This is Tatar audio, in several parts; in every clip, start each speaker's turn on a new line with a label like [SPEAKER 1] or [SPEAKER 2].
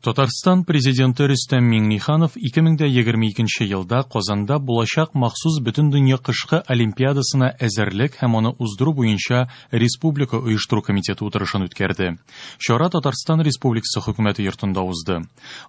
[SPEAKER 1] Татарстан Президенты Рөстәм Миңнеханов 2022 елда Казанда булачак махсус Бөтендөнья кышкы олимпиадасына әзерлек һәм аны уздыру буенча республика оештыру комитеты утырышын үткәрде. Чара Татарстан Республикасы Хөкүмәте йортында узды.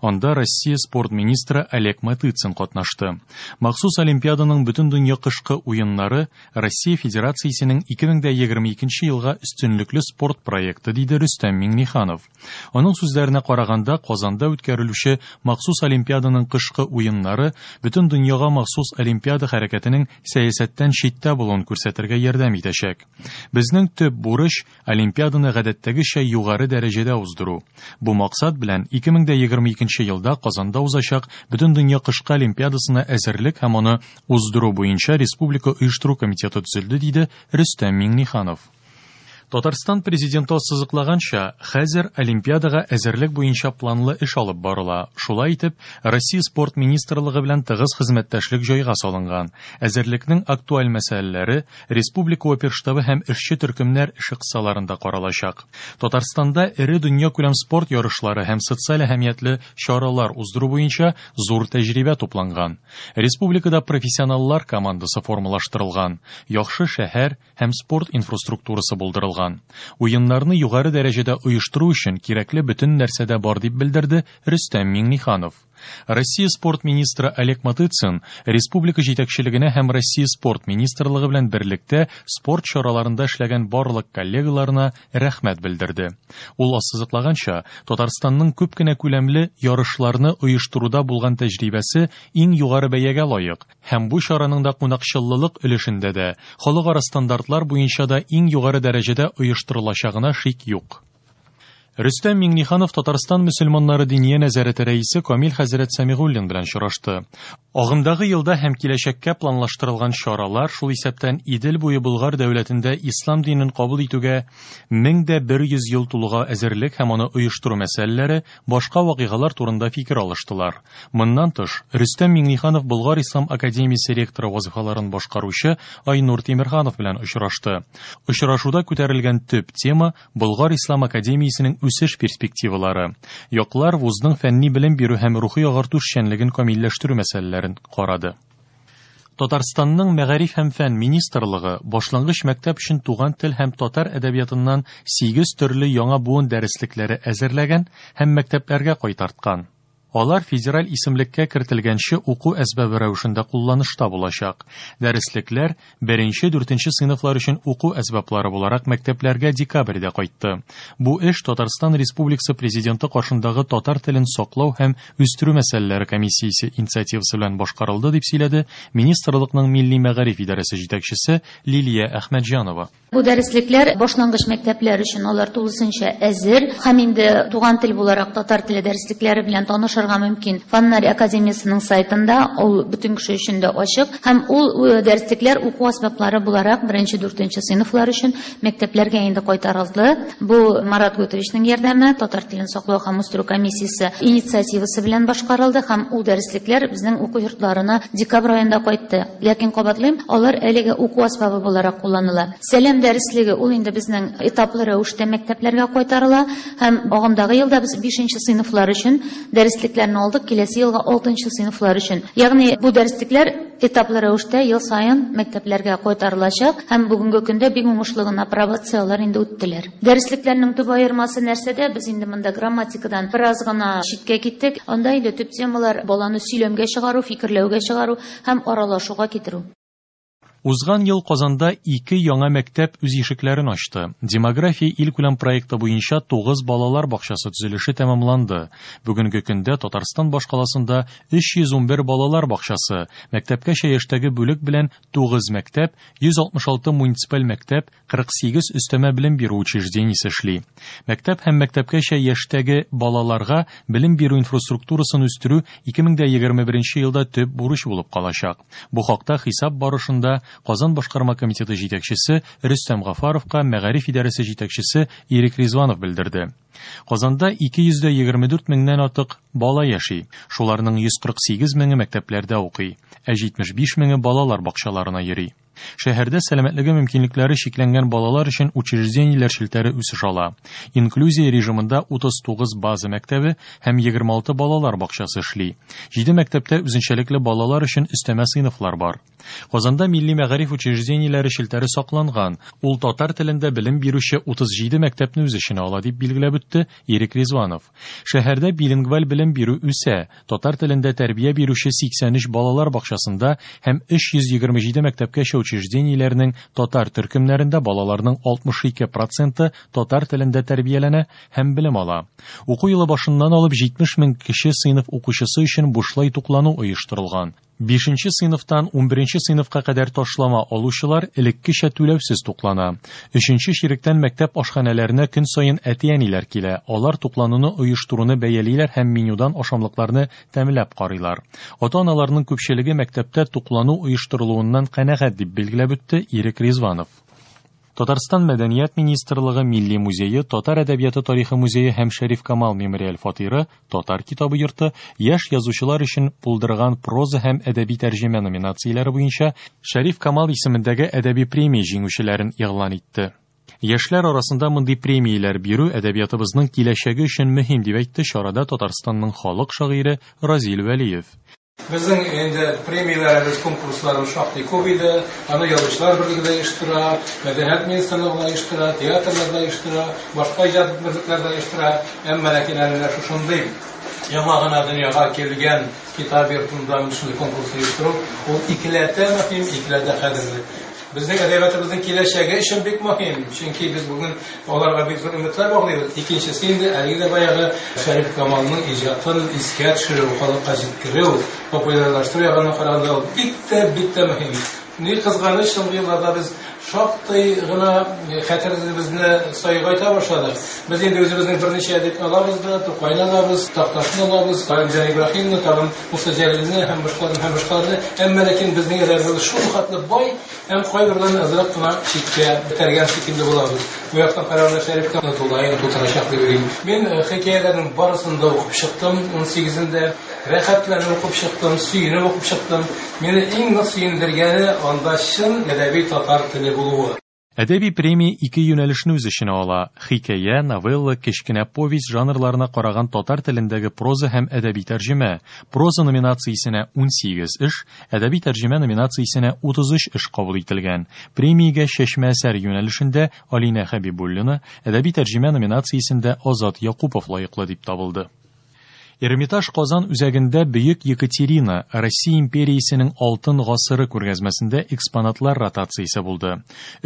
[SPEAKER 1] Анда Россия спорт министры Олег Матыцин катнашты. Махсус олимпиаданың Бөтендөнья кышкы уеннары Россия Федерациясенең 2022 елга өстенлекле спорт проекты, диде Рөстәм Миңнеханов. Аның сүзләренә караганда, Казанда үткәрелүче махсус олимпиаданың кышкы уеннары бөтен дөньяга махсус олимпиада хәрәкәтенең сәясәттән читтә булуын күрсәтергә ярдәм итәчәк. Безнең төп бурыч олимпиаданы гадәттәгечә югары дәрәҗәдә уздыру. Бу максат белән 2022 елда Казанда узачак Бөтендөнья кышкы олимпиадасына әзерлек һәм аны уздыру буенча республика оештыру комитеты төзелде, диде Рөстәм Миңнеханов. Татарстан президенты ассызыклаганча, хәзер Олимпиадага әзерлек буенча планлы эш алып барыла. Шулай итеп, Россия спорт министрлыгы белән тыгыз хезмәттәшлек җайга салынган. Әзерлекнең актуаль мәсьәләләре республика оперштабы һәм эшче төркемнәр эше кысаларында каралачак. Татарстанда эре дөньякүләм спорт ярышлары һәм социаль әһәмиятле чаралар уздыру буенча зур тәҗрибә тупланган. Республикада профессионаллар командасы формалаштырылган. Яхшы шәһәр һәм спорт инфраструктурасы булдырылган. Уеннарны югары дәрәҗәдә оештыру өчен кирәкле бөтен нәрсә дә бар, дип белдерде Рөстәм Миңнеханов. Россия спорт министры Олег Матыцин республика җитәкчелегенә һәм Россия спорт министрлыгы белән берлектә спорт чараларында эшләгән барлык коллегаларына рәхмәт белдерде. Ул ассызыклаганча, Татарстанның күп кенә күләмле ярышларны оештыруда булган тәҗрибәсе иң югары бәягә лаек һәм бу чараның да кунакчыллылык өлешендә дә, халыкара стандартлар буенча да иң югары дәрәҗәдә оештырылачагына шик юк. Рөстәм Миңнеханов Татарстан мөселманнары диния нәзарәте рәисе Камил хәзрәт Сәмигуллин белән очрашты. Агымдагы елда һәм киләчәккә планлаштырылган чаралар, шул исәптән Идел буе Болгар дәүләтендә ислам динен кабул итүгә 1100 ел тулуга әзерлек һәм аны оештыру мәсьәләләре, башка вакыйгалар турында фикер алыштылар. Моннан тыш, Рөстәм Миңнеханов Болгар ислам академиясе ректоры вазыйфаларын башкаручы Айнур Тимерханов белән очрашты. Очрашуда күтәрелгән төп тема Болгар ислам академиясенең үсеш перспективалары. Яклар вузның фәнни белем бирү һәм рухи агарту эшчәнлеген камилләштерү мәсьәләләрен карады. Татарстанның Мәгариф һәм фән министрлыгы башлангыч мәктәп өчен туган тел һәм татар әдәбиятыннан 8 төрле яңа буын дәреслекләре әзерләгән һәм мәктәпләргә кайтарткан. Алар федераль исемлеккә кертелгәнче уку әсбабы рәвешендә кулланышта булачак. Дәреслекләр беренче-дүртенче сыйныфлар өчен уку әсбаплары буларак мәктәпләргә декабрьдә кайтты. Бу эш Татарстан Республикасы Президенты каршындагы татар телен саклау һәм үстерү мәсьәләләре комиссиясе инициативасы белән башкарылды, дип сөйләде министрлыкның милли мәгариф идарәсе җитәкчесе Лилия Әхмәтҗанова.
[SPEAKER 2] Бу дәреслекләр башлангыч мәктәпләр өчен алар тулысынча әзер һәм инде туган тел буларак татар теле дәреслекләре белән танышырга мөмкин. Фаннар академиясенең сайтында ул бөтен кеше өчен дә ачык һәм ул дәреслекләр уку әсбаплары буларак беренче, дүртенче сыйныфлар өчен мәктәпләргә инде кайтарылды. Бу Марат Гутовичның ярдәме, татар телен саклау һәм үстерү комиссиясе инициативасы белән башкарылды һәм ул дәреслекләр безнең уку йортларына декабрь аенда кайтты. Ләкин кабатлыйм, алар әлеге уку әсбабы буларак кулланыла. Сәлам дәреслеге ул инде безнең этаплы рәвештә мәктәпләргә кайтарыла һәм агымдагы елда без 5 сыйныфлар өчен дәреслекләрне алдык, киләсе елга 6 сыйныфлар өчен. Ягъни бу дәреслекләр этаплы рәвештә ел саен мәктәпләргә кайтарылачак һәм бүгенге көндә бик уңышлы гына апробацияләр инде үттеләр. Дәреслекләрнең төп аермасы нәрсәдә? Без инде монда грамматикадан бераз гына читкә киттек. Анда инде төп темалар баланы сөйләмгә чыгару, фикерләүгә чыгару һәм аралашуга китерү.
[SPEAKER 1] Узган ел Казанда ике яңа мәктәп үз ишекләрен ачты. Демография илкүләм проекты буенча 9 балалар бакчасы төзелеше тәмамланды. Бүгенге көндә Татарстан башкаласында 311 балалар бакчасы, мәктәпкәчә яшьтәге бүлек белән 9 мәктәп, 166 муниципаль мәктәп, 48 өстәмә белем бирү учреждениесе эшли. Мәктәп һәм мәктәпкәчә яшьтәге балаларга белем бирү инфраструктурасын үстерү 2021 елда төп бурыч булып калачак. Бу хакта хисап барышында Казан башкарма комитеты җитәкчесе Рөстәм Гафаровка мәгариф идарәсе җитәкчесе Ирек Ризванов белдерде. Казанда 224 меңнән артык бала яши. Шуларның 148 меңе мәктәпләрдә укый, ә 75 меңе балалар бакчаларына йөри. Шәһәрдә сәламәтлеге мөмкинлекләре чикләнгән балалар өчен учреждениеләр челтәре үсеш ала. Инклюзия режимында 39 база мәктәбе һәм 26 балалар бакчасы эшли. Җиде мәктәптә үзенчәлекле балалар өчен өстәмә сыйныфлар бар. Казанда милли мәгариф учреждениеләре челтәре сакланган. Ул татар телендә белем бирүче 37 мәктәпне үз эченә ала, дип билгеләп үтте Ирек Ризванов. Шәһәрдә билингваль белем бирү үсә. Татар телендә тәрбия бирүче 83 балалар бакчасында һәм 327 мәктәпкәчә учреждениеләрнең татар төркемнәрендә балаларның 62 проценты татар телендә тәрбияләнә һәм белем ала. Уку елы башыннан алып 70 мең кече сыйныф укучысы өчен бушлай туклану оештырылган. Бишенче сыйныфтан унберенче сыйныфка кадәр ташлама алучылар элеккечә түләүсез туклана. Өченче чиректән мәктәп ашханәләренә көн саен әти-әниләр килә, алар туклануны оештыруны бәялиләр һәм менюдан ашамлыкларны тәмләп карыйлар. Ата-аналарның күпчелеге мәктәптә туклану оештырылуыннан канәгать, дип билгеләп үтте Ирек Ризванов. Татарстан Мәдәният министрлыгы, Милли музее, Татар әдәбияты тарихы музее һәм Шәриф Камал мемориаль фатиры, Татар китабы йорты яшь язучылар өчен булдырган проза һәм әдәби тәрҗемә номинацияләре буенча Шәриф Камал исемендәге әдәби премия җиңүчеләрен игълан итте. Яшьләр арасында мондый премияләр бирү әдәбиятыбызның киләчәге өчен мөһим, дип әйтте чарада Татарстанның халык шагыйре Разил Вәлиев.
[SPEAKER 3] Безнең инде премияләребез, конкурсларыбыз шактый күп иде. Аны Язучылар берлеге дә оештыра, Мәдәният министрлыгы да оештыра, театрлар да оештыра, башка иҗат берлекләре дә оештыра. Әмма ләкин әле менә шушындый яңа гына дөньяга килгән китап йортында шундый конкурс оештыру, ул икеләтә мөһим, икеләтә кадерле. Безнең әдәбиятыбызның киләчәге өчен бик мөһим, чөнки без бүген аларга бик зур өметләр баглыйбыз. Икенчесе инде әлеге дә баягы Шәриф Камалның иҗатын искә төшерү, халыкка җиткерү, популярлаштыру ягыннан караганда ул бик тә, бик тә мөһим. Ни кызганыч, соңгы елларда без шактый гына хәтеребезне сайгайта башладык. Без инде үзебезнең берничә әдипне алабыз да, Тукайны алабыз, Такташны алабыз, Галимҗан Ибраһимны, тагын Муса Җәлилне һәм башкаларны һәм башкаларны. Әмма ләкин безнең әдәбиятыбыз шул хәтле бай, һәм кайберләрен азрак кына читкә этәргән шикелле булабыз. Бу яктан караганда Шәриф тә тулаем тутырачак дип уйлыйм. Мин хикәяләрнең барысын да укып чыктым, унсигезен дә. Рәхәтләнеп укып чыктым, сөенеп укып чыктым. Мине иң нык сөендергәне анда чын әдәби татар теле булуы.
[SPEAKER 1] Әдәби премия ике юнәлешне үз эченә ала, хикәя, новелла, кечкенә повесть жанрларына караган татар телендәге проза һәм әдәби тәрҗемә. Проза номинациясенә 18 эш, әдәби тәрҗемә номинациясенә 33 эш кабул ителгән. Премиягә чәчмә әсәр юнәлешендә Алинә Хәбибуллина, әдәби тәрҗемә номинациясендә Азат Якупов лаеклы дип табылды. Эрмитаж Казан үзәгендә Бөек Екатерина, Россия империясенең алтын гасыры күргәзмәсендә экспонатлар ротациясе булды.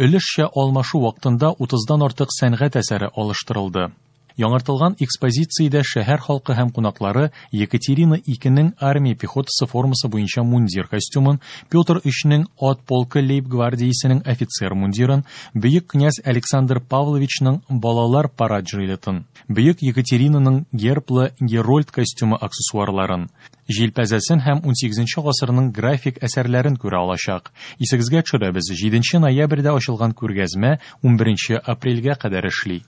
[SPEAKER 1] Өлешчә алмашу вакытында утыздан артык сәнгать әсәре алыштырылды. Яңартылган экспозициядә шәһәр халкы һәм кунаклары Екатерина икенең армия пехотасы формасы буенча мундир костюмын, Петр өчнең ат полкы лейб-гвардиясенең офицер мундирын, бөек князь Александр Павловичның балалар парад жилетын, Бөек Екатеринаның герблы герольд костюмы аксессуарларын, җилпәзәсен һәм унсигезенче гасырның график әсәрләрен күрә алачак. Исегезгә төшерәбез, җиденче ноябрьдә ачылган күргәзмә унберенче апрельгә кадәр эшли.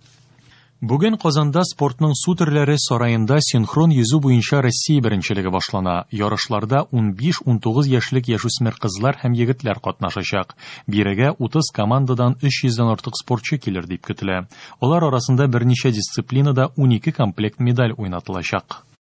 [SPEAKER 1] Бүген Казанда спортның су төрләре сараенда синхрон йөзү буенча Россия беренчелеге башлана. Ярышларда унбиш-унтугыз яшьлек яшүсмер кызлар һәм егетләр катнашачак. Бирегә 30 командадан 300 дән артык спортчы килер дип көтелә. Алар арасында берничә дисциплинада 12 комплект медаль уйнатылачак.